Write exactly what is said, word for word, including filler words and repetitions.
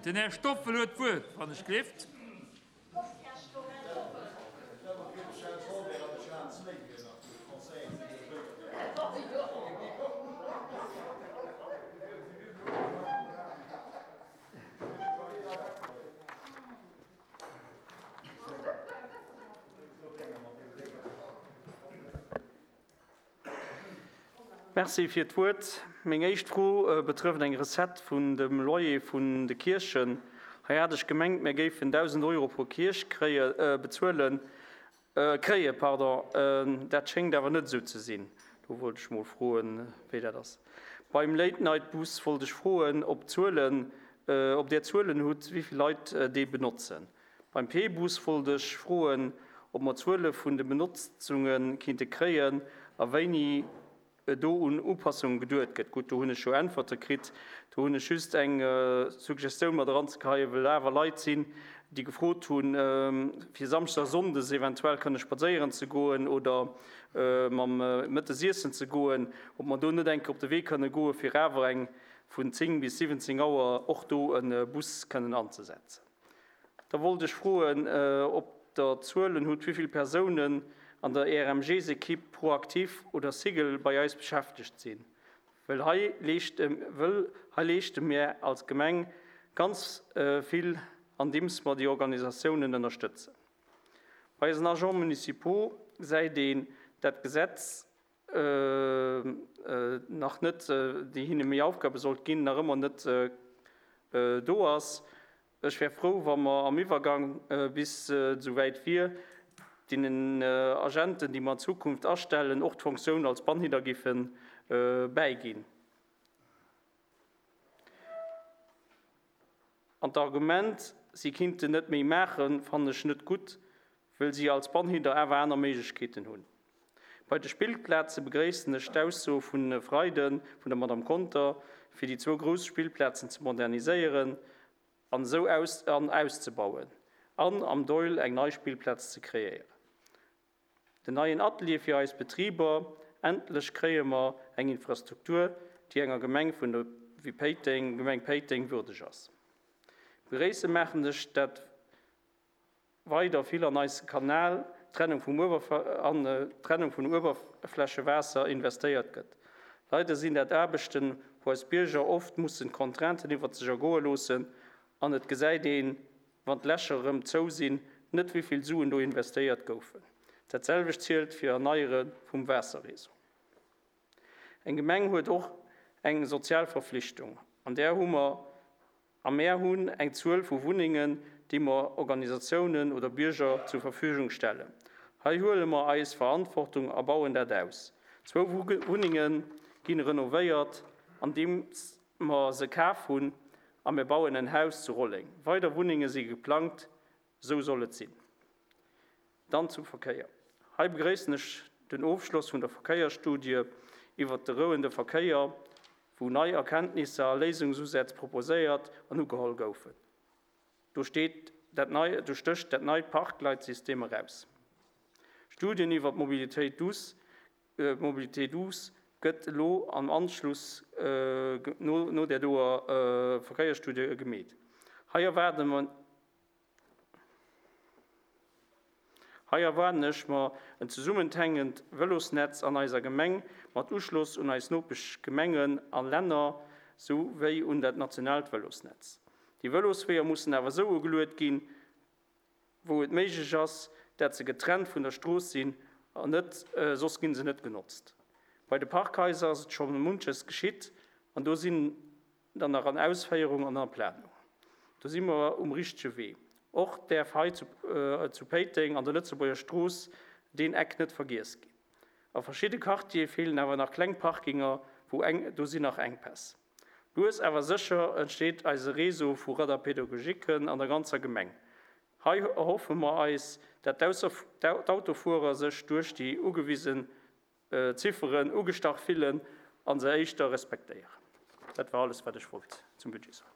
Den Här Stoffel huet d'Wuert, wann ech gelift. Merci fir d'Wuert. Meng éischt Fro betrëfft eng Recette vun dem Loyer vun de Kierchen. Hei hat ech gemengt, mir géifen dausend Euro pro Kierch kréie, bezuelen, kréie, pardon. Dat schéngt awer net esou ze sinn. Do wollt ech mol froen, wéi dat ass. Beim Late-Night-Bus wollt ech froen, ob Zuelen, ob Dir Zuelen hutt, wéi vill Leit dee benotzen. Beim P-Bus wollt ech froen, ob mer Zuele vun de Benotzunge kinnte kréien a wéini do un Upassungen geduet gëtt. Gutt, do hunn ech jo Äntwerte kritt. Do hunn ech just eng Suggestioun mat eranzegeheien, well awer Leit sinn, déi gefrot hunn, fir samschdes a sonndes eventuell kënne spadséieren ze goen oder mam Mëttes iessen ze goen, ob mer do net eng Kéier op de Wee kënne goen, fir awer eng vun zéng bis siwwenzéng Auer och do e Bus kënnen anzesetzen. Da wollt ech froen, ob Der Zuelen hutt, wéi vill Persounen an der E R M Gs-Equipe Proactif oder Sigel bei eis beschäftegt sinn. Well hei leeschte, wëll hei leeschte mir als Gemeng ganz vill, andeems mer déi Organisatiounen ënnerstëtzen. Bei eisen Agents municipaux gesäit een dat Gesetz nach net, déi hinne méi Aufgabe sollt ginn, nach ëmmer net do ass. Ech wär frou, wa mer am Iwwergang bis esouwäit wier, deenen Agenten, déi mer an Zukunft astellen, och d'Funktioun als Bannhider géife bäiginn. An d'Argument, si kinnten net méi maachen, fannen ech net gutt, well si als Bannhider awer aner Méiglechkeeten hunn. Bei de Spillplaze begréissen ech d'Ausso vun Freiden vun der Madame Conter, fir déi zwou grouss Spillplazen ze moderniséieren an esou aus, an auszebauen an am Doihl eng nei Spillplaz ze kreéieren. Den neien Atelier fir eis Betriber, endlech kréie mer eng Infrastruktur, déi enger Gemeng vun der wéi Péiteng, Gemeng Péiteng würdeg ass. Begréisse maachen ech dat weider vill an eise Kanal Trennung vum Uewerf-, an Trennung vun Uewerflächewaasser investéiert gëtt. Leider sinn dat Aarbechten, wou eis Bierger oft mussen Contrainten iwwer sech ergoe loossen an et gesäit een, wann d'Lächer erëm zou sinn, net wéi vill Suen do investéiert goufen. Dat selwecht zielt fir Erneiere vum Waasserréseau. Eng Gemeng huet och eng sozial Verpflichtung, an där hu mer a mär hunn eng Zuel vu Wunnengen, déi mer Organisatiounen oder Bierger zur Verfügung stellen. Hei huele mer eis Verantwortung a bauen dat aus. Zwou Wunnenge ginn renovéiert, andeem mer se kaf hunn, a mir bauen en Haus zu Rolleng. Weider Wunnenge si geplangt, sou soll et sinn. Dann zum Verkéier. Hei begréissen ech den Ofschloss vun der Verkéiersstudie iwwer de rouende Verkéier, wou nei Erkenntnisser a Léisungsusätz proposéiert an ugeholl goufen. Do steet dat nei, do stécht dat neit Parkleitsystem eraus. Studien iwwer d'Mobilität douce, äh, Mobilité douce gëtt elo am Anschluss, äh, no, no der doer, äh, Verkéiersstudie gemeet. Hei erwarten wir, hei erwarten ech mer en zusammenhängend Velosnetz an eiser Gemeng mat Uschloss un eis Nopeschgemengen an Länner sowie un dat nationaalt Velosnetz. Die Velosweeër mussen awer sou ugeluecht ginn, wou et méiglech ass, dat se getrennt vun der Strooss sinn an net, äh, soss ginn se net genotzt. Bei de Parkhaiser ass et schon munches geschitt an do sinn dann nach an Ausféierung an an Planung. Do si mer um richtege Wee. Och därf hei zu, äh, zu Péiteng an der Lëtzebuerger Strooss den Eck net vergiess ginn. A verschiedene Quartiere fehlen awer nach kleng Parkinger, wo eng, do sinn nach Engpäss. Lues awer sécher entsteet eise Réseau vu Radarpädagogiken an der ganzer Gemeng. Hei erhoffe mer eis, dat d'Autofuerer sech duerch déi ugewisen, äh, Zifferen ugestach fillen an se éischter respektéieren. Dat war alles, wat ech wollt zum Budget soen.